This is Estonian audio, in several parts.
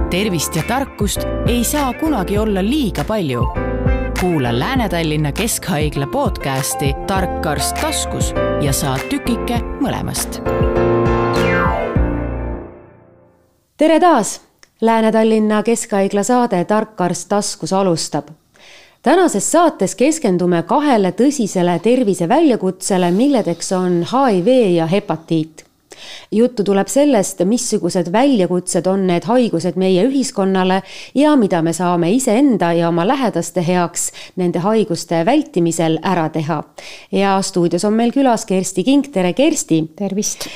tervist ja tarkust ei saa kunagi olla liiga palju. Kuula Lääne-Tallinna Keskhaigla podcasti Tark arst taskus ja saa tükike mõlemast. Tere taas! Lääne-Tallinna Keskhaigla saade Tark arst taskus alustab. Tänases saates keskendume 2 tõsisele tervise väljakutsele, milledeks on HIV ja hepatiit. Juttu tuleb sellest, missugused väljakutsed on need haigused meie ühiskonnale ja mida me saame iseenda ja oma lähedaste heaks nende haiguste vältimisel ära teha. Ja stuudios on meil külas Kersti King. Tere Kersti! Tervist!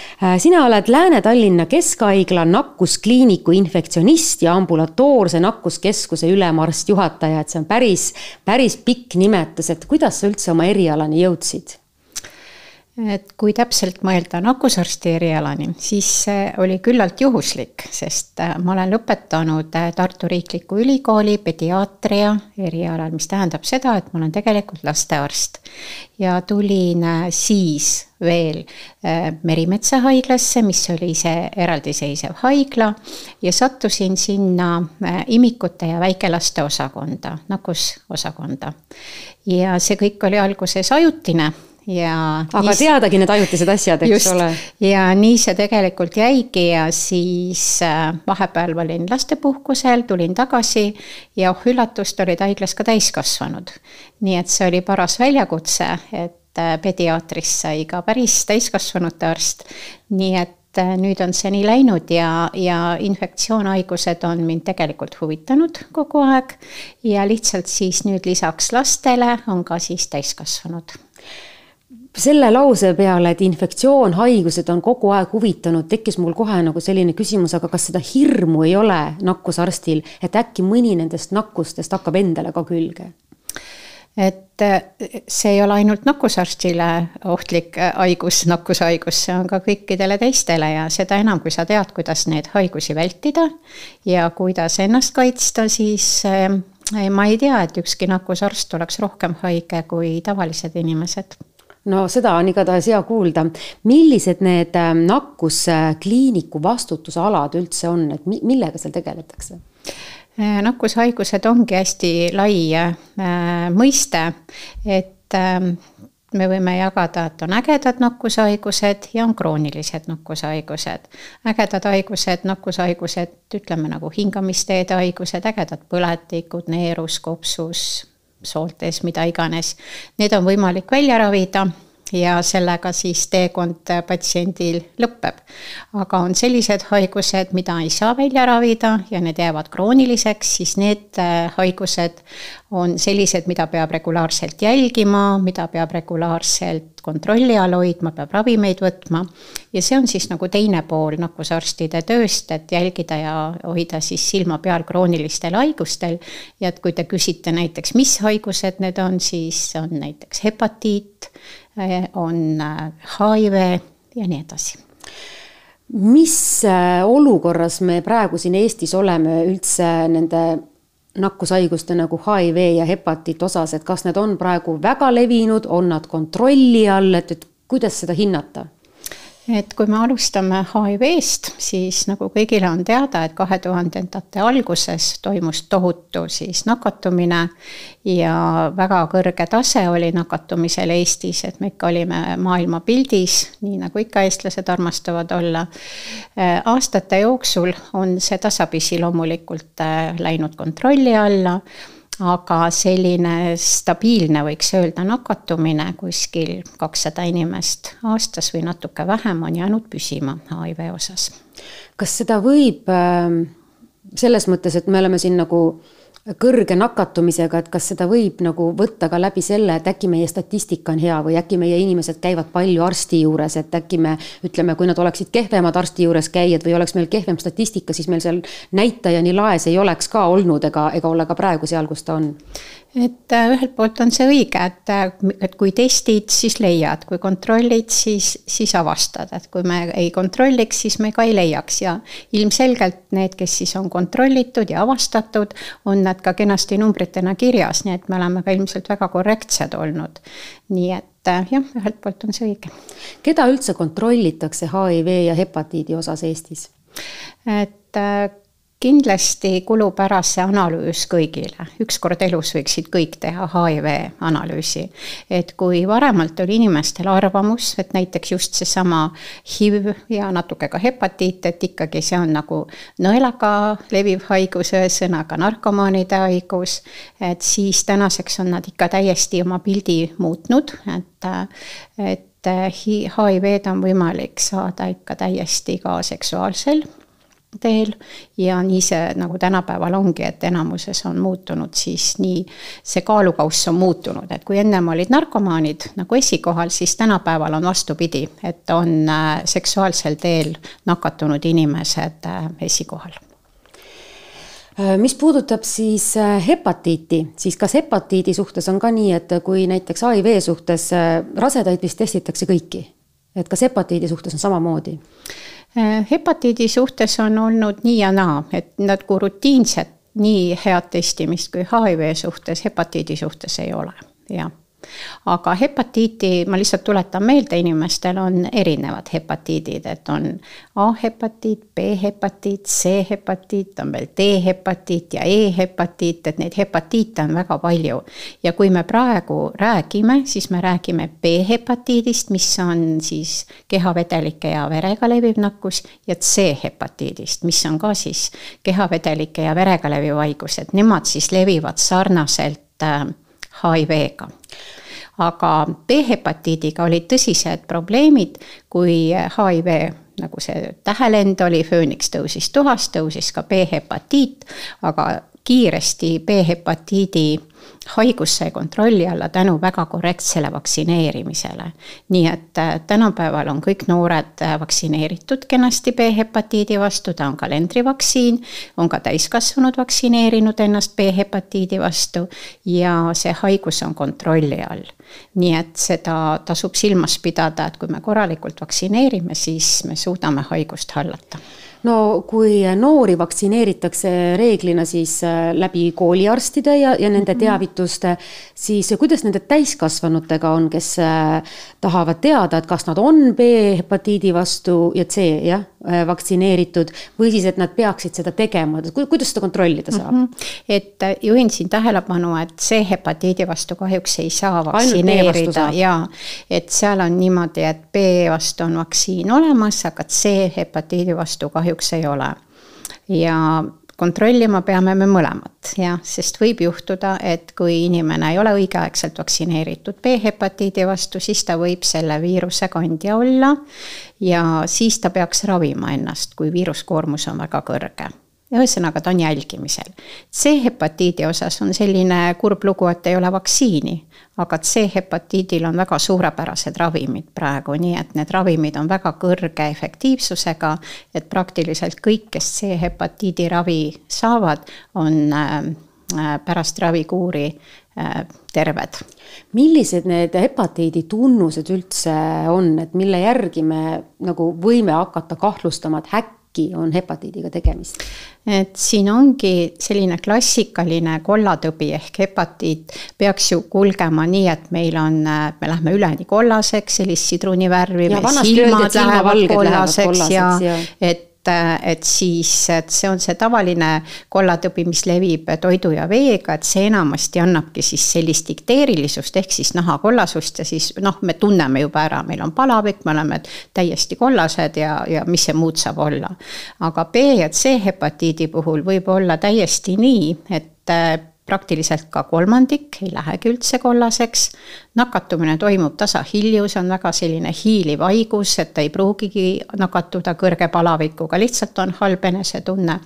Sina oled Lääne-Tallinna Keskhaigla nakkuskliiniku infektsionist ja ambulatoorse nakkuskeskuse ülemarst juhataja. Et see on päris pikk nimetus, et kuidas sa üldse oma erialani jõudsid? Et kui täpselt mõelda nakkusarsti erialani, siis see oli küllalt juhuslik, sest ma olen lõpetanud Tartu Riikliku Ülikooli pediaatria erialal, mis tähendab seda, et ma olen tegelikult lastearst. Ja tulin siis veel Merimetsa haiglasse, mis oli see eraldiseisev haigla, ja sattusin sinna imikute ja väikelaste osakonda, nakkusosakonda. Ja see kõik oli alguses ajutine. Aga teadagi need ajutised asjad, eks ole. Ja nii see tegelikult jäigi ja siis vahepeal olin lastepuhkusel, tulin tagasi ja üllatust olid haiglas ka täiskasvanud. Nii et see oli paras väljakutse, et pediaatrist sai ka päris täiskasvanute arst. Nii et nüüd on see nii läinud ja infektsioonhaigused on mind tegelikult huvitanud kogu aeg ja lihtsalt siis nüüd lisaks lastele on ka siis täiskasvanud. Selle lause peale, et infektsioonhaigused on kogu aeg huvitanud, tekkis mul kohe nagu selline küsimus, aga kas seda hirmu ei ole nakkusarstil, et äkki mõni nendest nakkustest hakkab endale ka külge? Et see ei ole ainult nakkusarstile ohtlik nakkushaigus, see on ka kõikidele teistele ja seda enam, kui sa tead, kuidas neid haigusi vältida ja kuidas ennast kaitsta, siis ma ei tea, et ükski nakkusarst oleks rohkem haige kui tavalised inimesed. No seda on igatahes hea kuulda. Millised need nakkuskliiniku vastutusalad üldse on, et millega seal tegeletakse? Nakkushaigused ongi hästi lai mõiste, et me võime jagada, et on ägedad nakkushaigused ja on kroonilised nakkushaigused. Ägedad haigused, nakkushaigused, ütleme nagu hingamisteede haigused, ägedad põletikud, neerus, kopsus, sooltes, mida iganes. Need on võimalik välja ravida ja sellega siis teekond patsiendil lõpeb. Aga on sellised haigused, mida ei saa välja ravida ja need jäävad krooniliseks, siis need haigused on sellised, mida peab regulaarselt jälgima, mida peab regulaarselt kontrolli all hoidma, peab ravimeid võtma. Ja see on siis nagu teine pool nakkusarstide tööst, et jälgida ja hoida siis silma peal kroonilistel haigustel. Ja et kui te küsite näiteks, mis haigused need on, siis on näiteks hepatiit, on HIV ja nii edasi. Mis olukorras me praegu siin Eestis oleme üldse nende nakkushaiguste nagu HIV ja hepatiit osas, et kas need on praegu väga levinud, on nad kontrolli all, et kuidas seda hinnata? Et kui me alustame HIV-st, siis nagu kõigile on teada, et 2000-ndate alguses toimus tohutu siis nakatumine ja väga kõrge tase oli nakatumisel Eestis, et me ikka olime maailma pildis, nii nagu ikka eestlased armastavad olla. Aastate jooksul on see tasapisi loomulikult läinud kontrolli alla, aga selline stabiilne võiks öelda nakatumine kuskil 200 inimest aastas või natuke vähem on jäänud püsima HIV osas. Kas seda võib selles mõttes, et me oleme siin nagu kõrge nakatumisega, et kas seda võib nagu võtta ka läbi selle, et äkki meie statistika on hea või äkki meie inimesed käivad palju arsti juures, et äkki me ütleme, kui nad oleksid kehvemad arsti juures käijad või oleks meil kehvem statistika, siis meil seal näitaja nii laes ei oleks ka olnud ega ole ka praegu seal, kus ta on. Et ühelt poolt on see õige, et kui testid, siis leiad, kui kontrollid, siis avastad, et kui me ei kontrolliks, siis me ka ei leiaks ja ilmselgelt need, kes siis on kontrollitud ja avastatud, on nad ka kenasti numbritena kirjas, nii et me oleme ka ilmselt väga korrektsed olnud. Nii et jah, ühelt poolt on see õige. Keda üldse kontrollitakse HIV ja hepatiidi osas Eestis? Et kindlasti kulub ära see analüüs kõigile. Ükskord elus võiksid kõik teha HIV analüüsi. Et kui varemalt oli inimestel arvamus, et näiteks just seesama HIV ja natuke ka hepatiit, et ikkagi see on nagu nõelaga leviv haigus, sõnaga narkomaanide haigus, et siis tänaseks on nad ikka täiesti oma pildi muutnud, et HIV-d on võimalik saada ikka täiesti ka seksuaalsel teel ja nii see nagu tänapäeval ongi, et enamuses on muutunud siis nii, see kaalukauss on muutunud, et kui ennem olid narkomaanid nagu esikohal, siis tänapäeval on vastupidi, et on seksuaalsel teel nakatunud inimesed esikohal. Mis puudutab siis hepatiiti, siis kas hepatiidi suhtes on ka nii, et kui näiteks HIV suhtes rasedaid vist testitakse kõiki, et kas hepatiidi suhtes on samamoodi? Hepatiidi suhtes on olnud nii ja naa, et nad kui rutiinset nii head testimist kui HIV suhtes, hepatiidi suhtes ei ole, jah. Aga hepatiiti, ma lihtsalt tuletan meelde, inimestel on erinevad hepatiidid, et on A-hepatiit, B-hepatiit, C-hepatiit, on veel D-hepatiit ja E-hepatiit, et neid hepatiite on väga palju. Ja kui me praegu räägime, siis me räägime B-hepatiidist, mis on siis kehavedelike ja verega leviv nakkus, ja C-hepatiidist, mis on ka siis kehavedelike ja verega leviv haigus, et nemad siis levivad sarnaselt HIV-ga. Aga B-hepatiidiga olid tõsised probleemid, kui HIV, nagu see tähelend oli, fööniks tõusis tuhas, tõusis ka B-hepatiit, aga kiiresti B-hepatiidi haigus sai kontrolli alla tänu väga korrektsele vaktsineerimisele. Nii et tänapäeval on kõik noored vaktsineeritud kenasti B-hepatiidi vastu, ta on kalendrivaktsiin, on ka täiskasvanud vaktsineerinud ennast B-hepatiidi vastu ja see haigus on kontrolli all. Nii et seda tasub silmas pidada, et kui me korralikult vaktsineerime, siis me suudame haigust hallata. No kui noori vaktsineeritakse reeglina siis läbi kooliarstide ja nende teavituste, siis kuidas nende täiskasvanutega on, kes tahavad teada, et kas nad on B-hepatiidi vastu ja C vaktsineeritud või siis, et nad peaksid seda tegema, kuidas seda kontrollida saab? Et juhin siin tähelepanu, et C-hepatiidi vastu kahjuks ei saa vaktsineerida ja et seal on niimoodi, et B vastu on vaktsiin olemas, aga C-hepatiidi vastu kahjuks ei ole. Ja kontrollima peame me mõlemat, sest võib juhtuda, et kui inimene ei ole õigeaegselt vaktsineeritud B-hepatiidi vastu, siis ta võib selle viiruse kandja olla ja siis ta peaks ravima ennast, kui viiruskoormus on väga kõrge. Ja ühesõnaga ta on jälgimisel. C-hepatiidi osas on selline kurb lugu, et ei ole vaktsiini, aga C-hepatiidil on väga suurepärased ravimid praegu, nii et need ravimid on väga kõrge efektiivsusega, et praktiliselt kõik, kes C-hepatiidi ravi saavad, on pärast ravikuuri terved. Millised need hepatiidi tunnused üldse on, et mille järgi me nagu võime hakata kahtlustama, et äkki on hepatiidiga tegemist? Et siin ongi selline klassikaline kollatõbi ehk hepatiit peaks ju kulgema nii, et me lähme üleni kollaseks, sellist sidrunivärvi, silmad lähevad kollaseks ja et siis et see on see tavaline kollatõbi, mis levib toidu ja veega, et see enamasti annabki siis sellist ikteerilisust ehk siis nahakollasust ja siis me tunneme juba ära, meil on palavik, me oleme täiesti kollased ja mis see muud saab olla. Aga B ja C hepatiidi puhul võib olla täiesti nii, et praktiliselt ka kolmandik ei lähegi üldse kollaseks. Nakatumine toimub tasahilju, see on väga selline hiiliv haigus, et ei pruugigi nakatuda kõrge palavikuga, lihtsalt on halb enesetunne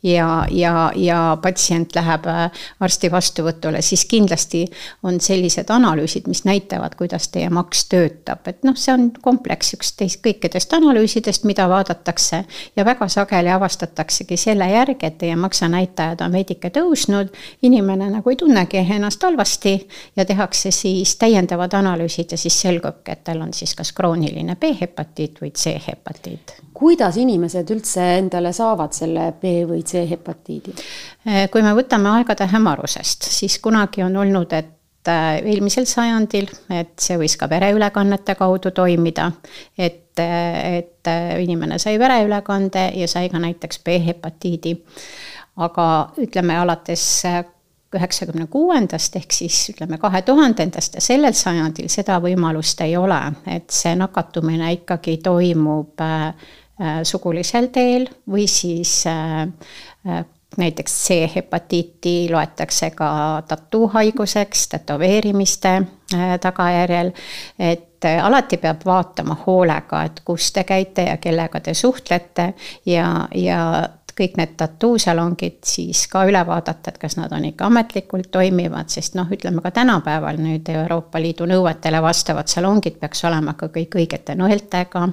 ja patsient läheb arsti vastuvõtule, siis kindlasti on sellised analüüsid, mis näitavad, kuidas teie maks töötab. Et see on kompleks kõikidest analüüsidest, mida vaadatakse ja väga sageli avastataksegi selle järgi, et teie maksanäitajad on veidike tõusnud, inimene nagu ei tunnegi ennast halvasti ja tehakse siis täiendavad analüüsid ja siis selgubki, et tal on siis kas krooniline B-hepatiit või C-hepatiit. Kuidas inimesed üldse endale saavad selle B- või C-hepatiidi? Kui me võtame aegade hämarusest, siis kunagi on olnud, et eelmisel sajandil, et see võis ka vereülekannete kaudu toimida, et inimene sai vereülekande ja sai ka näiteks B-hepatiidi. Aga ütleme alates 96. ehk siis ütleme 2000. ja sellel sajandil seda võimalust ei ole, et see nakatumine ikkagi toimub sugulisel teel või siis näiteks C-hepatiiti loetakse ka tattoo-haiguseks, tätoveerimiste tagajärjel, et alati peab vaatama hoolega, et kus te käite ja kellega te suhtlete ja kõik need tattoo-salongid siis ka üle vaadata, et kas nad on ikka ametlikult toimivad, sest ütleme ka tänapäeval nüüd Euroopa Liidu nõuetele vastavad salongid peaks olema ka kõik õigete nõeltega,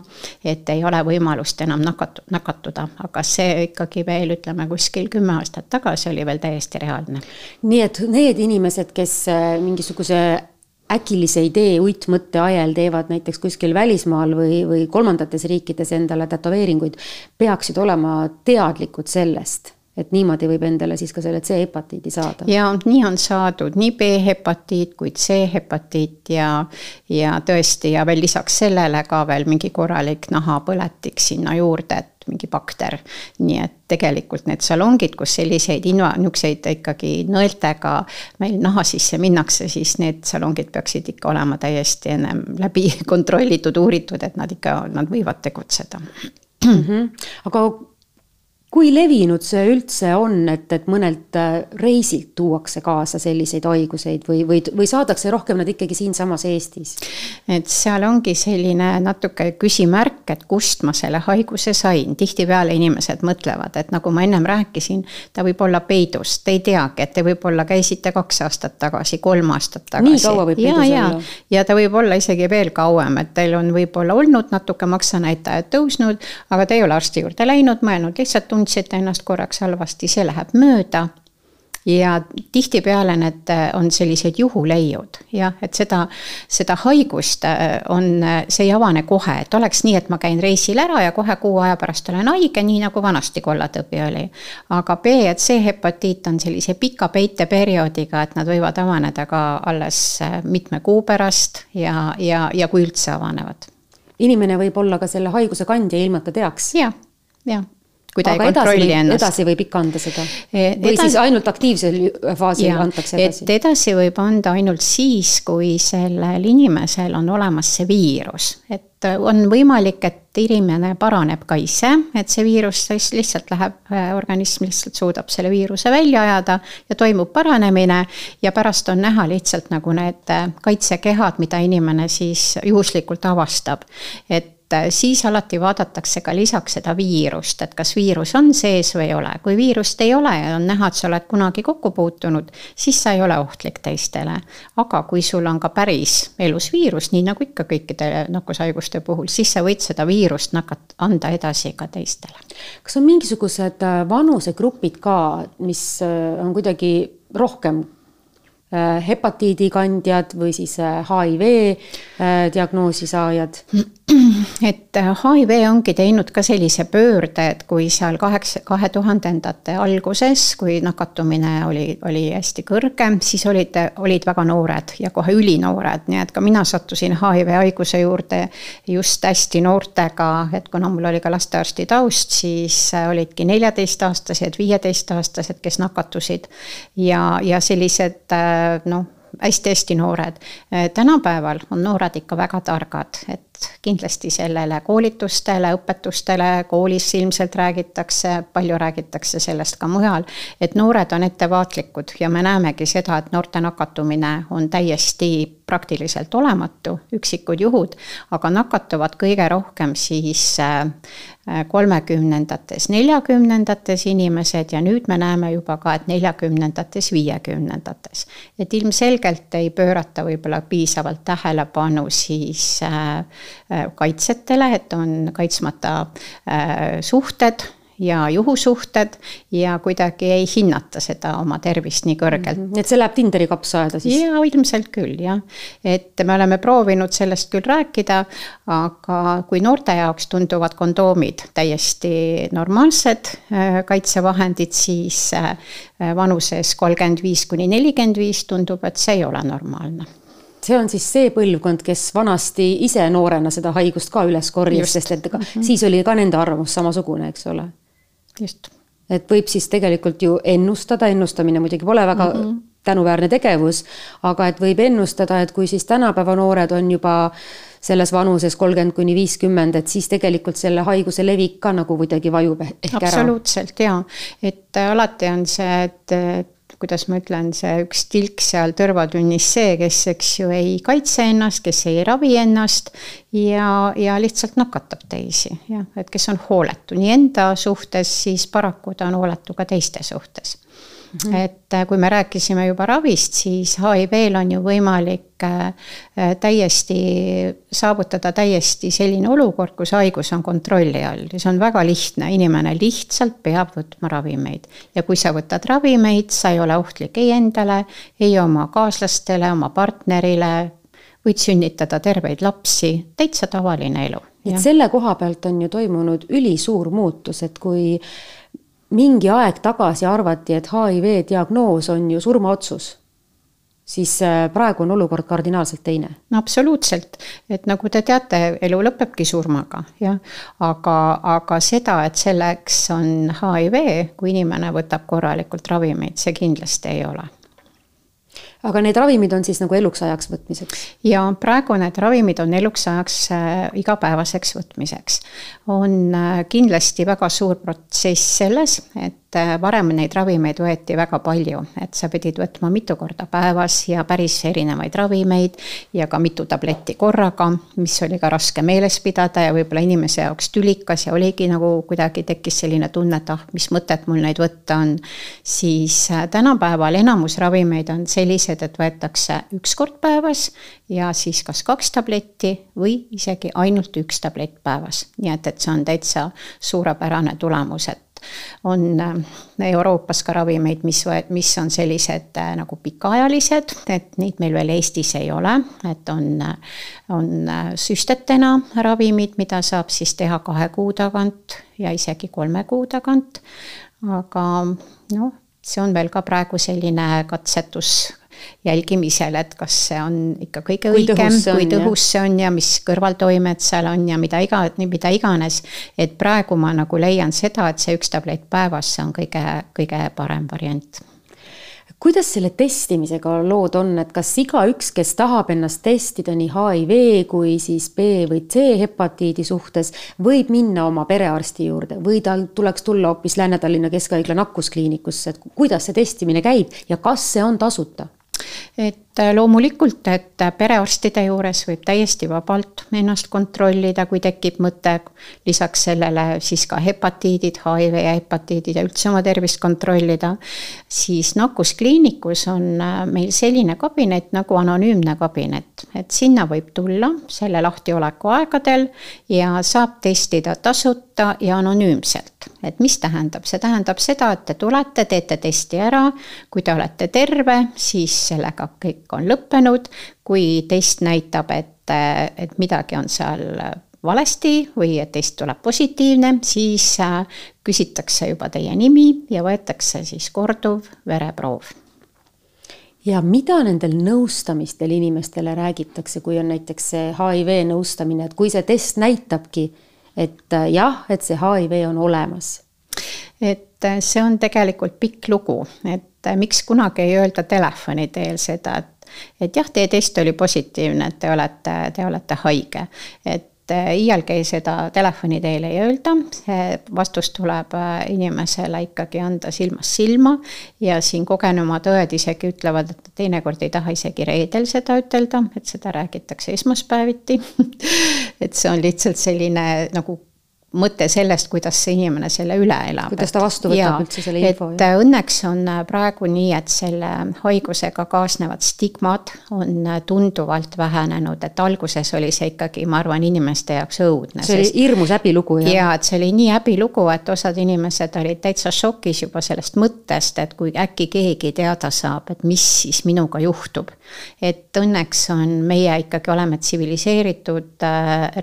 et ei ole võimalust enam nakatuda, aga see ikkagi veel ütleme kuskil 10 aastat tagasi oli veel täiesti reaalne. Nii et need inimesed, kes mingisuguse äkilise idee uitmõtte ajal teevad näiteks kuskil välismaal või kolmandates riikides endale tätoveeringuid, peaksid olema teadlikud sellest, et niimoodi võib endale siis ka selle C-hepatiidi saada. Ja nii on saadud nii B-hepatiit kui C-hepatiit ja tõesti ja veel lisaks sellele ka veel mingi korralik nahapõletik sinna juurde, et mingi bakter. Nii et tegelikult need salongid, kus selliseid niukseid ikkagi nõeltega meil naha sisse minnakse, siis need salongid peaksid ikka olema täiesti ennem läbi kontrollitud, uuritud, et nad võivad tegutseda. Aga kui levinud see üldse on, et mõnelt reisilt tuuakse kaasa selliseid haiguseid või saadakse rohkem nad ikkagi siinsamas Eestis? Et seal ongi selline natuke küsimärk, et kust ma selle haiguse sain. Tihtipeale inimesed mõtlevad, et nagu ma ennem rääkisin, ta võib olla peidust, te ei teagi, et te võib-olla käisite 2 aastat tagasi, 3 aastat tagasi. Nii kaua võib peidus olla? Ja ta võib olla isegi veel kauem, et teil on võib-olla olnud natuke maksanäitajad tõusnud, aga te ei ole arsti juurde läinud, mõelnud lihtsalt tundsid ennast korraks halvasti, see läheb mööda ja tihtipeale need on sellised juhuleiud ja et seda haigust see ei avane kohe, et oleks nii, et ma käin reisil ära ja kohe 6 aja pärast olen haige, nii nagu vanasti kollatõbi oli. Aga B- ja C-hepatiit on sellise pika peiteperioodiga, et nad võivad avaneda ka alles mitme kuu pärast ja kui üldse avanevad. Inimene võib olla ka selle haiguse kandja ilma ta teaks? Ja. Kui ta aga ei kontrolli ennast. Edasi võib ikka anda seda? Või siis ainult aktiivsel faasil antakse edasi? Et edasi võib anda ainult siis, kui sellel inimesel on olemas see viirus. Et on võimalik, et inimene paraneb ka ise, et see viirus lihtsalt läheb, organism lihtsalt suudab selle viiruse välja ajada ja toimub paranemine ja pärast on näha lihtsalt nagu need kaitsekehad, mida inimene siis juhuslikult avastab. Et siis alati vaadatakse ka lisaks seda viirust, et kas viirus on sees või ei ole. Kui viirust ei ole ja on näha, et sa oled kunagi kokku puutunud, siis sa ei ole ohtlik teistele. Aga kui sul on ka päris elus viirus, nii nagu ikka kõikide nakkushaiguste puhul, siis sa võid seda viirust anda edasi ka teistele. Kas on mingisugused vanusegrupid ka, mis on kuidagi rohkem hepatiidikandjad või siis HIV diagnoosi saajad? Et HIV ongi teinud ka sellise pöörde, et kui seal 2000-ndate alguses, kui nakatumine oli hästi kõrge, siis olid väga noored ja kohe ülinoored, nii et ka mina sattusin HIV haiguse juurde just hästi noortega, et kuna mul oli ka lastearsti taust, siis olidki 14-aastased, 15-aastased, kes nakatusid ja sellised hästi noored. Tänapäeval on noored ikka väga targad, et kindlasti sellele koolitustele, õpetustele, koolis ilmselt räägitakse, palju räägitakse sellest ka mujal, et noored on ettevaatlikud ja me näemegi seda, et noorte nakatumine on täiesti praktiliselt olematu, üksikud juhud, aga nakatuvad kõige rohkem siis 30-ndates, 40-ndates inimesed ja nüüd me näeme juba ka, et 40-ndates, 50-ndates. Et ilmselgelt ei pöörata võib-olla piisavalt tähelepanu siis kaitsetele, et on kaitsmata suhted ja juhusuhted ja kuidagi ei hinnata seda oma tervist nii kõrgelt. Et see läheb Tinderi kapsaaeda siis? Ja ilmselt küll, jah. Et me oleme proovinud sellest küll rääkida, aga kui noorte jaoks tunduvad kondoomid täiesti normaalsed kaitsevahendid, siis vanuses 35–45 tundub, et see ei ole normaalne. See on siis see põlvkond, kes vanasti ise noorena seda haigust ka üles korjas, sest et siis oli ka nende arvamus samasugune, eks ole. Just. Et võib siis tegelikult ju ennustada, ennustamine muidugi pole väga tänuväärne tegevus, aga et võib ennustada, et kui siis tänapäeva noored on juba selles vanuses 30–50, et siis tegelikult selle haiguse levik ka nagu kuidagi vajub ehk ära. Absoluutselt, jaa. Et alati on see, et kuidas ma ütlen, see üks tilk seal tõrvatünnis see, kes eks ju ei kaitse ennast, kes ei ravi ennast ja lihtsalt nakatab teisi. Ja, et kes on hooletu nii enda suhtes, siis paraku ta on hooletu ka teiste suhtes. Et kui me rääkisime juba ravist, siis HIV-l on ju võimalik saavutada täiesti selline olukord, kus haigus on kontrolli all. Ja see on väga lihtne, inimene lihtsalt peab võtma ravimeid. Ja kui sa võtad ravimeid, sa ei ole ohtlik ei endale, ei oma kaaslastele, oma partnerile, võid sünnitada terveid lapsi, täitsa tavaline elu. Et selle koha pealt on ju toimunud ülisuur muutus, et kui mingi aeg tagasi arvati, et HIV diagnoos on ju surmaotsus, siis praegu on olukord kardinaalselt teine. No absoluutselt, et nagu te teate, elu lõpebki surmaga, ja? Aga seda, et selleks on HIV, kui inimene võtab korralikult ravimeid, see kindlasti ei ole. Aga need ravimid on siis nagu eluks ajaks võtmiseks? Ja praegu need ravimid on eluks ajaks igapäevaseks võtmiseks. On kindlasti väga suur protsess selles, et varem neid ravimeid võeti väga palju, et sa pidid võtma mitu korda päevas ja päris erinevaid ravimeid ja ka mitu tabletti korraga, mis oli ka raske meeles pidada ja võib-olla inimese jaoks tülikas ja oligi nagu kuidagi tekkis selline tunne, et mis mõtet mul neid võtta on. Siis tänapäeval enamus ravimeid on sellised, et võetakse üks kord päevas ja siis kas 2 tabletti või isegi ainult 1 tablett päevas. Nii et see on täitsa suurepärane tulemus, et on Euroopas ka ravimeid, mis on sellised nagu pikaajalised, et neid meil veel Eestis ei ole, et on süstetena ravimid, mida saab siis teha 2 kuu tagant ja isegi 3 kuu tagant, aga no, see on veel ka praegu selline katsetus jälgimisel, et kas see on ikka kõige õigem, kui tõhus see on ja mis kõrvaltoimed seal on ja mida iganes, et praegu ma nagu leian seda, et see 1 tablett päevas see on kõige parem variant. Kuidas selle testimisega lood on, et kas igaüks, kes tahab ennast testida nii HIV kui siis B või C hepatiidi suhtes, võib minna oma perearsti juurde või tal tuleks tulla hoopis Lääne-Tallinna Keskhaigla nakkuskliinikusse, et kuidas see testimine käib ja kas see on tasuta? Et loomulikult, et perearstide juures võib täiesti vabalt ennast kontrollida, kui tekib mõte, lisaks sellele siis ka hepatiidid, HIV ja hepatiidid ja üldse oma tervist kontrollida, siis nakkuskliinikus on meil selline kabinet nagu anonüümne kabinet, et sinna võib tulla selle lahtioleku aegadel ja saab testida tasuta ja anonüümselt. Et mis tähendab? See tähendab seda, et te tulete, teete testi ära, kui te olete terve, siis sellega kõik on lõppenud, kui test näitab, et midagi on seal valesti või et test tuleb positiivne, siis küsitakse juba teie nimi ja võetakse siis korduv vereproov. Ja mida nendel nõustamistel inimestele räägitakse, kui on näiteks see HIV nõustamine, et kui see test näitabki, et jah, et see HIV on olemas? Et see on tegelikult pikk lugu, et miks kunagi ei öelda telefoni teel seda, et jah, teie test oli positiivne, et te olete haige. Et iialgi seda telefoni teel ei öelda, see vastus tuleb inimesele ikkagi anda silmast silma ja siin kogenumad õed isegi ütlevad, et teinekord ei taha isegi reedel seda ütelda, et seda räägitakse esmaspäeviti. Et see on lihtsalt selline nagu mõte sellest, kuidas see inimene selle üle elab. Kuidas ta vastu võtab üldse selle info. Et õnneks on praegu nii, et selle haigusega kaasnevad stigmad on tunduvalt vähenenud, et alguses oli see ikkagi, ma arvan, inimeste jaoks õudne. See oli hirmus häbilugu. Ja, et see oli nii häbilugu, et osad inimesed olid täitsa šokis juba sellest mõttest, et kui äkki keegi teada saab, et mis siis minuga juhtub. Et õnneks on meie ikkagi oleme tsiviliseeritud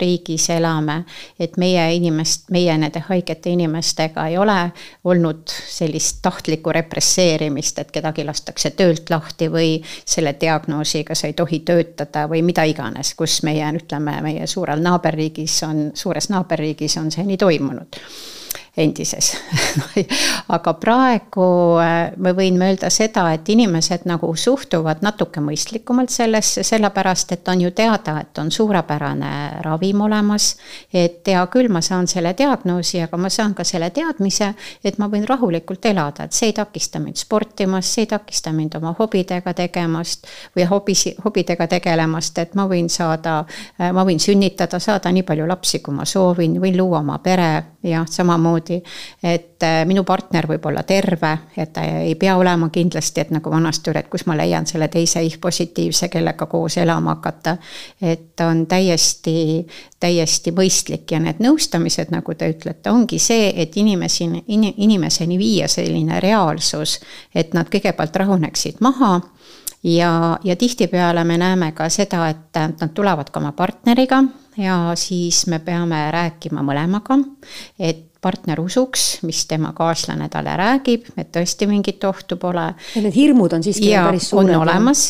riigis elame, et meie nende haigete inimestega ei ole olnud sellist tahtlikku represseerimist, et kedagi lastakse töölt lahti või selle diagnoosiga sa ei tohi töötada või mida iganes, kus meie suures naaberriigis on see nii toimunud. Endises. Aga praegu me võin öelda seda, et inimesed nagu suhtuvad natuke mõistlikumalt sellesse, sellepärast, et on ju teada, et on suurepärane ravim olemas, et hea küll, ma saan selle diagnoosi, aga ma saan ka selle teadmise, et ma võin rahulikult elada, et see ei takista mind sportimast, see ei takista mind oma hobidega tegemast või hobidega tegelemast, et ma võin sünnitada, saada nii palju lapsi, kui ma soovin, võin luua oma pere ja samamoodi, et minu partner võib olla terve, et ta ei pea olema kindlasti, et nagu vanasti oli, et kus ma leian selle teise HIV-positiivse, kellega koos elama hakata, et on täiesti mõistlik ja need nõustamised, nagu te ütlete, ongi see, et inimeseni viia selline reaalsus, et nad kõigepealt rahuneksid maha ja tihtipeale me näeme ka seda, et nad tulevad ka oma partneriga ja siis me peame rääkima mõlemaga, et partner usuks, mis tema kaaslane talle räägib, et tõesti mingit ohtu pole. Ja need hirmud on siiski päris suured. On olemas,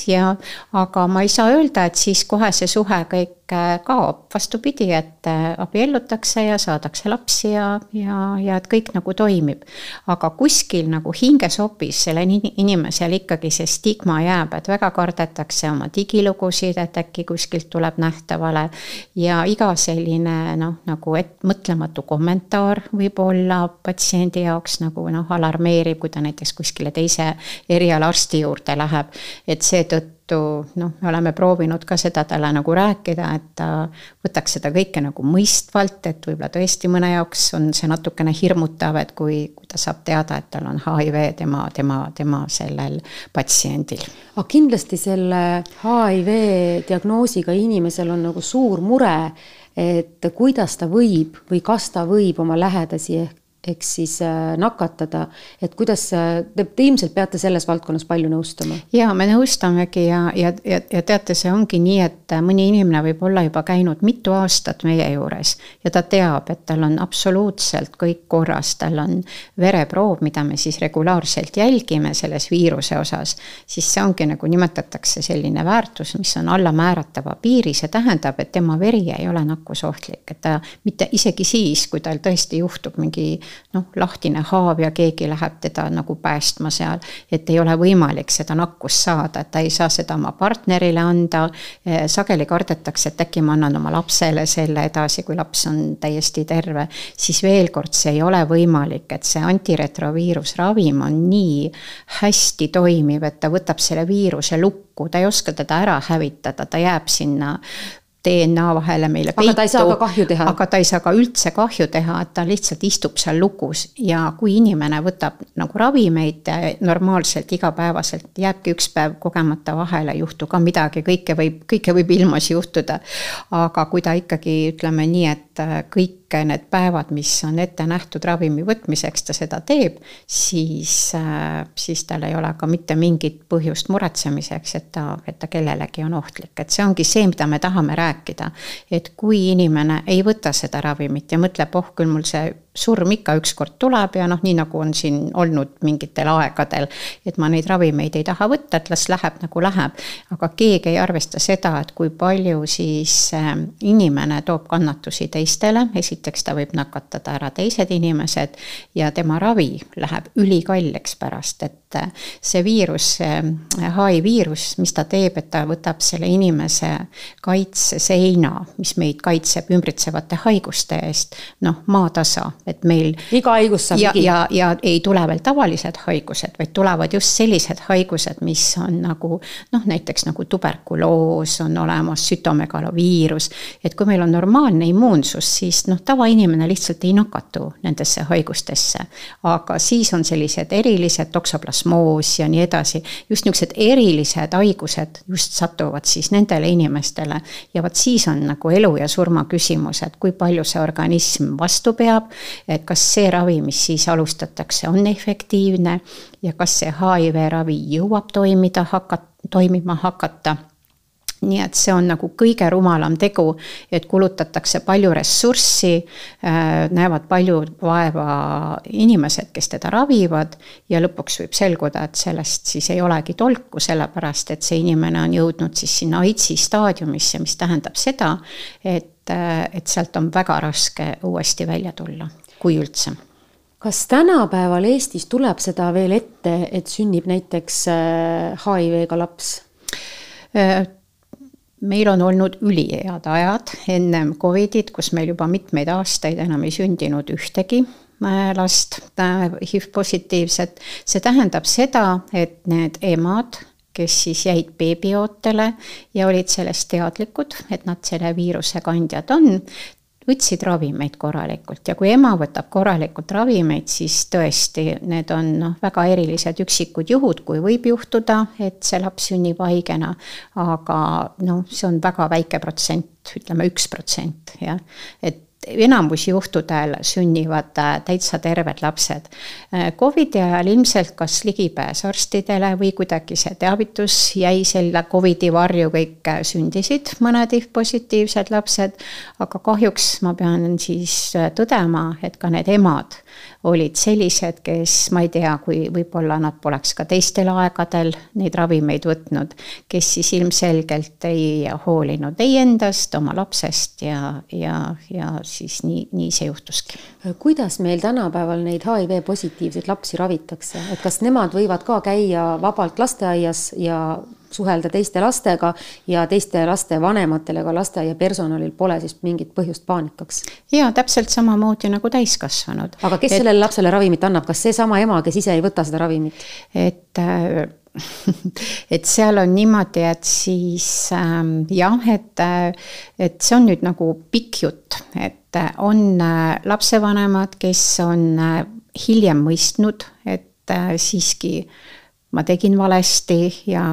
aga ma ei saa öelda, et siis kohe see suhe kõik kaob. Vastupidi, et abiellutakse ja saadakse lapsi ja et kõik nagu toimib. Aga kuskil nagu hingesopis selle inimesel ikkagi see stigma jääb, et väga kardetakse oma digilugusid, et äkki kuskilt tuleb nähtavale ja iga selline nagu mõtlematu kommentaar võib olla patsiendi jaoks nagu alarmeerib, kui ta näiteks kuskile teise erialarsti juurde läheb, et seetõttu me oleme proovinud ka seda talle nagu rääkida, et ta võtaks seda kõike nagu mõistvalt, et võib-olla tõesti mõne jaoks on see natukene hirmutav, et kui ta saab teada, et tal on HIV tema sellel patsiendil. Aga kindlasti selle HIV diagnoosiga inimesel on nagu suur mure, et kuidas ta võib või kas ta võib oma lähedasi ehk siis nakatada, et kuidas te ilmselt peate selles valdkonnas palju nõustama? Ja, me nõustamegi ja teate, see ongi nii, et mõni inimene võib olla juba käinud mitu aastat meie juures ja ta teab, et tal on absoluutselt kõik korras, tal on vereproov, mida me siis regulaarselt jälgime selles viiruse osas, siis see ongi nagu nimetatakse selline väärtus, mis on alla määratava piiri, see tähendab, et tema veri ei ole nakkusohtlik, et ta mitte isegi siis, kui tal tõesti juhtub mingi lahtine haav ja keegi läheb teda nagu päästma seal, et ei ole võimalik seda nakkust saada, et ta ei saa seda oma partnerile anda, sageli kardetakse, et äkki ma annan oma lapsele selle edasi, kui laps on täiesti terve, siis veel kord see ei ole võimalik, et see antiretroviirusravim on nii hästi toimiv, et ta võtab selle viiruse lukku, ta ei oska teda ära hävitada, ta jääb sinna DNA vahele meile peitu. Aga ta ei saa ka kahju teha. Aga ta ei saa ka üldse kahju teha, et ta lihtsalt istub seal lukus ja kui inimene võtab nagu ravimeid normaalselt igapäevaselt, jääbki üks päev kogemata vahele, juhtu ka midagi, kõike võib ilmas juhtuda. Aga kui ta ikkagi ütleme nii, et kõik need päevad, mis on ette nähtud ravimi võtmiseks, ta seda teeb, siis tal ei ole ka mitte mingit põhjust muretsemiseks, et ta kellelegi on ohtlik. Et see ongi see, mida me tahame rääkida. Et kui inimene ei võta seda ravimit ja mõtleb, küll mul see surm ikka ükskord tuleb ja nii nagu on siin olnud mingitel aegadel, et ma neid ravimeid ei taha võtta, et las läheb nagu läheb. Aga keegi ei arvesta seda, et kui palju siis inimene toob kannatusi teistele, esiteks ta võib nakatada ära teised inimesed ja tema ravi läheb ülikalleks pärast, et see viirus, HIV-viirus, mis ta teeb, et ta võtab selle inimese kaitseseina, mis meid kaitseb ümbritsevate haiguste eest, maatasa, et meil iga haigus saab ligi. Ja ei tule veel tavalised haigused, vaid tulevad just sellised haigused, mis on nagu näiteks nagu tuberkuloos on olemas, sütomegaloviirus, et kui meil on normaalne immuunsus, siis tavainimene lihtsalt ei nakatu nendesse haigustesse, aga siis on sellised erilised toksoplasmoos ja nii edasi, just niisugused erilised haigused just satuvad siis nendele inimestele ja vaat siis on nagu elu ja surma küsimus, et kui palju see organism vastu peab, et kas see ravi, mis siis alustatakse, on efektiivne ja kas see HIV ravi jõuab toimima hakata. Nii et see on nagu kõige rumalam tegu, et kulutatakse palju ressurssi, näevad palju vaeva inimesed, kes teda ravivad ja lõpuks võib selguda, et sellest siis ei olegi tolku, sellepärast et see inimene on jõudnud siis sinna AIDSi staadiumisse, mis tähendab seda, et sealt on väga raske uuesti välja tulla, kui üldse. Kas tänapäeval Eestis tuleb seda veel ette, et sünnib näiteks HIV-ga laps? Meil on olnud ülihead ajad ennem Covidit, kus meil juba mitmeid aastaid enam ei sündinud ühtegi last HIV-positiivset. See tähendab seda, et need emad, kes siis jäid beebiootele ja olid sellest teadlikud, et nad selle viiruse kandjad on, võtsid ravimeid korralikult ja kui ema võtab korralikult ravimeid, siis tõesti need on väga erilised üksikud juhud, kui võib juhtuda, et see laps sünnib haigena, aga see on väga väike protsent, ütleme 1%, jah, et enamus juhtudel sünnivad täitsa terved lapsed. Covidi ajal ilmselt kas ligipääs arstidele või kuidagi see teavitus jäi selle Covidi varju, kõik sündisid mõned positiivsed lapsed, aga kahjuks ma pean siis tõdema, et ka need emad olid sellised, kes ma ei tea, kui võib-olla nad poleks ka teistel aegadel neid ravimeid võtnud, kes siis ilmselgelt ei hoolinud ei endast, oma lapsest ja siis nii see juhtuski. Kuidas meil tänapäeval neid HIV-positiivseid lapsi ravitakse? Et kas nemad võivad ka käia vabalt lasteaias ja suhelda teiste lastega ja teiste laste vanematele, ka lasteaia personalil pole siis mingit põhjust paanikaks? Jaa, täpselt samamoodi nagu täiskasvanud. Aga kes sellele lapsele ravimit annab? Kas see sama ema, kes ise ei võta seda ravimit? Et seal on niimoodi, et siis et see on nüüd nagu pikk jutt, et on lapsevanemad, kes on hiljem mõistnud, et siiski ma tegin valesti ja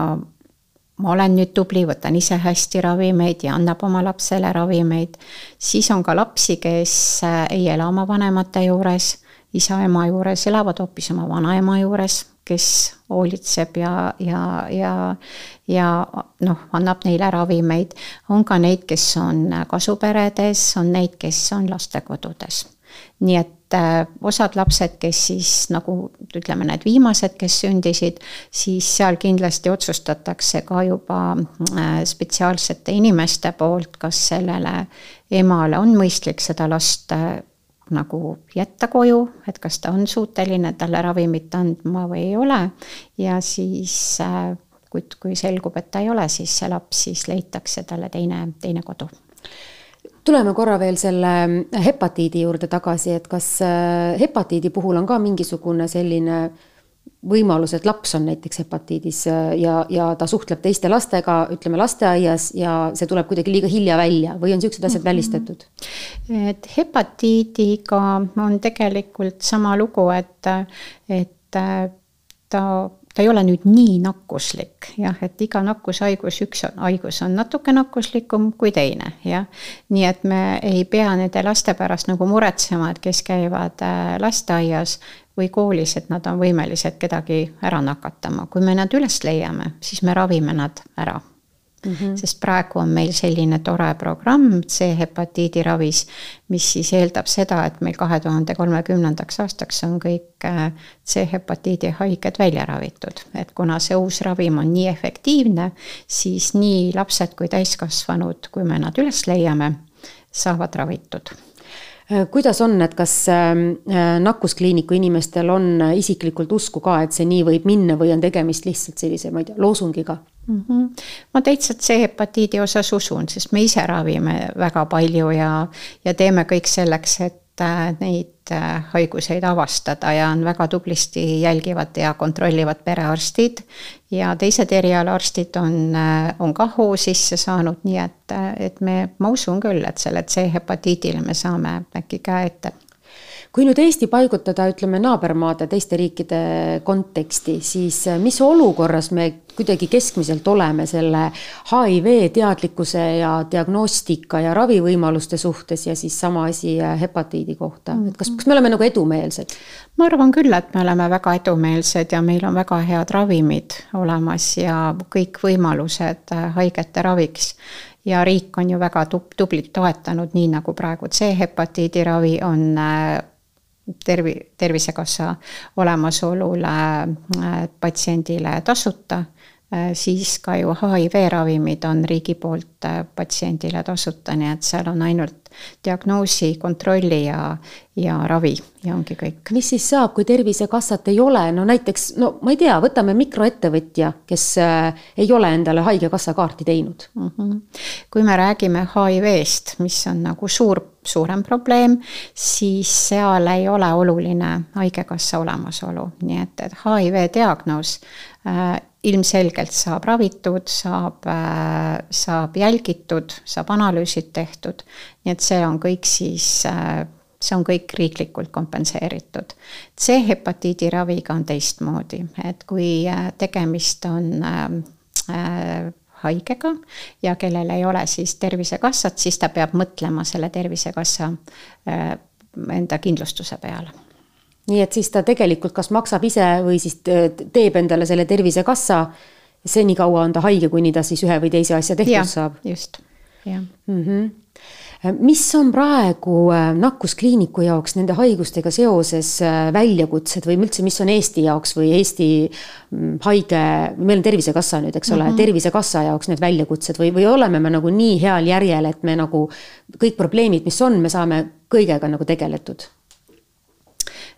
ma olen nüüd tubli, võtan ise hästi ravimeid ja annab oma lapsele ravimeid. Siis on ka lapsi, kes ei ela oma vanemate juures, isa-ema juures, elavad hoopis oma vanaema juures, kes hoolitseb ja annab neile ravimeid. On ka neid, kes on kasuperedes, on neid, kes on lastekodudes. Nii et osad lapsed, kes siis nagu ütleme need viimased, kes sündisid, siis seal kindlasti otsustatakse ka juba spetsiaalsete inimeste poolt, kas sellele emale on mõistlik seda last nagu jätta koju, et kas ta on suuteline talle ravimit andma või ei ole ja siis kui selgub, et ta ei ole, siis see laps siis leitakse talle teine kodu. Tuleme korra veel selle hepatiidi juurde tagasi, et kas hepatiidi puhul on ka mingisugune selline võimalus, et laps on näiteks hepatiidis ja ta suhtleb teiste lastega, ütleme lasteaias ja see tuleb kuidagi liiga hilja välja või on sellised asjad välistatud? Et hepatiidiga on tegelikult sama lugu, et ta ei ole nüüd nii nakkuslik, jah, et iga nakkushaigus, üks haigus on natuke nakkuslikum kui teine, jah. Nii et me ei pea nende laste pärast nagu muretsema, et kes käivad lasteaias või koolis, et nad on võimelised kedagi ära nakatama. Kui me nad üles leiame, siis me ravime nad ära. Sest praegu on meil selline tore programm C-hepatiidi ravis, mis siis eeldab seda, et meil 2030. aastaks on kõik C-hepatiidi haiged välja ravitud. Et kuna see uus ravim on nii efektiivne, siis nii lapsed kui täiskasvanud, kui me nad üles leiame, saavad ravitud. Kuidas on, et kas nakkuskliiniku inimestel on isiklikult usku ka, et see nii võib minna või on tegemist lihtsalt sellise, ma ei tea, loosungiga? Ma teitsalt C-hepatiidi osas usun, sest me ise ravime väga palju ja teeme kõik selleks, et neid haiguseid avastada ja on väga tublisti jälgivad ja kontrollivad perearstid ja teised erialaarstid on ka hoo sisse saanud, nii et ma usun küll, et selle C-hepatiidile me saame äkki käe ette. Kui nüüd Eesti paigutada, ütleme, naabermaade teiste riikide konteksti, siis mis olukorras me kuidagi keskmiselt oleme selle HIV teadlikkuse ja diagnostika ja ravivõimaluste suhtes ja siis sama asi hepatiidi kohta? Kas me oleme nagu edumeelsed? Ma arvan küll, et me oleme väga edumeelsed ja meil on väga head ravimid olemas ja kõik võimalused haigete raviks. Ja riik on ju väga tublit toetanud, nii nagu praegu C-hepatiidi ravi on Tervisekassa olemasolule patsiendile tasuta, siis ka ju HIV-ravimid on riigi poolt patsiendile tasuta, nii et seal on ainult diagnoosi, kontrolli ja ravi ja ongi kõik. Mis siis saab, kui Tervisekassat ei ole? No näiteks, ma ei tea, võtame mikroettevõtja, kes ei ole endale haigekassa kaarti teinud. Kui me räägime HIV-st, mis on nagu suurem probleem, siis seal ei ole oluline haigekassa olemasolu. Nii et HIV diagnoos ilmselgelt saab ravitud, saab jälgitud, saab analüüsid tehtud, nii et see on kõik see on kõik riiklikult kompenseeritud. C-hepatiidi raviga on teistmoodi, et kui tegemist on haigega ja kellel ei ole siis Tervisekassat, siis ta peab mõtlema selle Tervisekassa enda kindlustuse peale. Nii et siis ta tegelikult kas maksab ise või siis teeb endale selle Tervisekassa, seni kaua on ta haige, kuni ta siis ühe või teise asja tehtud saab. Just, jah. Mis on praegu nakkuskliiniku jaoks nende haigustega seoses väljakutsed või üldse, mis on Eesti jaoks või Eesti haige, meil on Tervisekassa nüüd, eks ole, Tervisekassa jaoks need väljakutsed või oleme me nagu nii heal järjel, et me nagu kõik probleemid, mis on, me saame kõigega nagu tegeletud?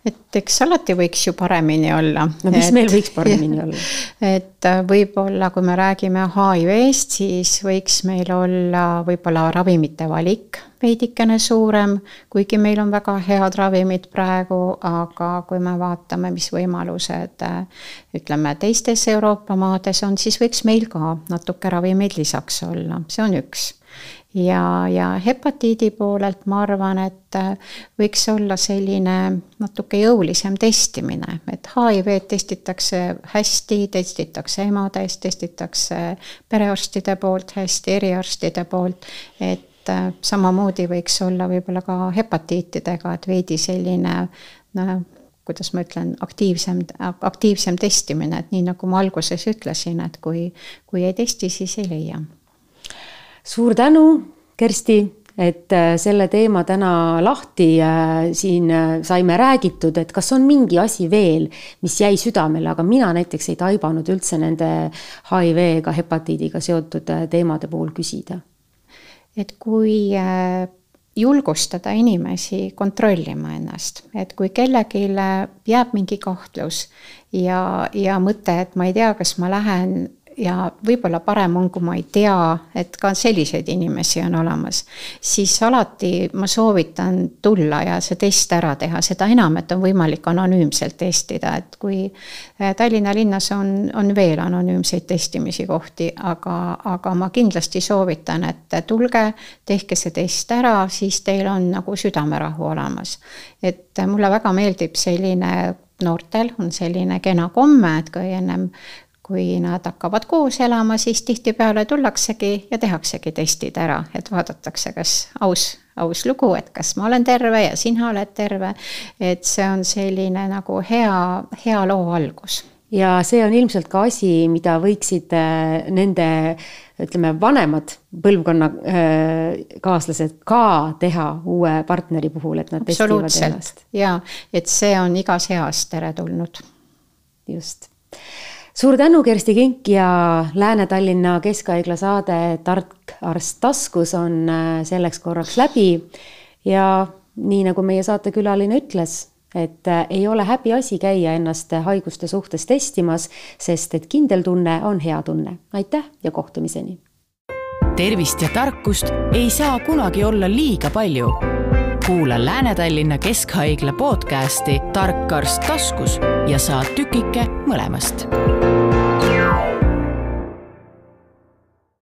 Et eks alati võiks ju paremini olla. No mis meil võiks paremini olla? Et võib-olla, kui me räägime HIV-st, siis võiks meil olla võib-olla ravimite valik veidikene suurem, kuigi meil on väga head ravimid praegu, aga kui me vaatame, mis võimalused ütleme teistes Euroopa maades on, siis võiks meil ka natuke ravimeid lisaks olla. See on üks. Ja hepatiidi poolelt ma arvan, et võiks olla selline natuke jõulisem testimine, et HIV testitakse hästi, testitakse emades, testitakse perearstide poolt hästi, eriarstide poolt, et samamoodi võiks olla võib-olla ka hepatiitidega, et veidi selline, kuidas ma ütlen, aktiivsem testimine, et nii nagu ma alguses ütlesin, et kui ei testi, siis ei leia. Suur tänu, Kersti, et selle teema täna lahti siin saime räägitud, et kas on mingi asi veel, mis jäi südamele, aga mina näiteks ei taibanud üldse nende HIV-ga, hepatiidiga seotud teemade puhul küsida. Et kui julgustada inimesi kontrollima ennast, et kui kellelgi jääb mingi kahtlus ja mõte, et ma ei tea, kas ma lähen ja võib-olla parem on, kui ma ei tea, et ka selliseid inimesi on olemas, siis alati ma soovitan tulla ja see test ära teha, seda enam, et on võimalik anonüümselt testida, et kui Tallinna linnas on veel anonüümseid testimisi kohti, aga ma kindlasti soovitan, et tulge, tehke see test ära, siis teil on nagu südamerahu olemas. Et mulle väga meeldib selline, noortel on selline kena komme, et kui nad hakkavad koos elama, siis tihtipeale tullaksegi ja tehaksegi testid ära, et vaadatakse, kas aus lugu, et kas ma olen terve ja sina oled terve, et see on selline nagu hea loo algus. Ja see on ilmselt ka asi, mida võiksid nende, ütleme, vanemad põlvkonna kaaslased ka teha uue partneri puhul, et nad testivad ennast. Ja, et see on igas heas teretulnud. Just. Suur tänu, Kersti Kink, ja Lääne-Tallinna Keskhaigla saade Tark arst taskus on selleks korraks läbi. Ja nii nagu meie saatekülaline ütles, et ei ole häbi asi käia ennast haiguste suhtes testimas, sest et kindel tunne on hea tunne. Aitäh ja kohtumiseni! Tervist ja tarkust ei saa kunagi olla liiga palju. kuula Lääne-Tallinna Keskhaigla podcasti Tark arst taskus ja saa tükike mõlemast.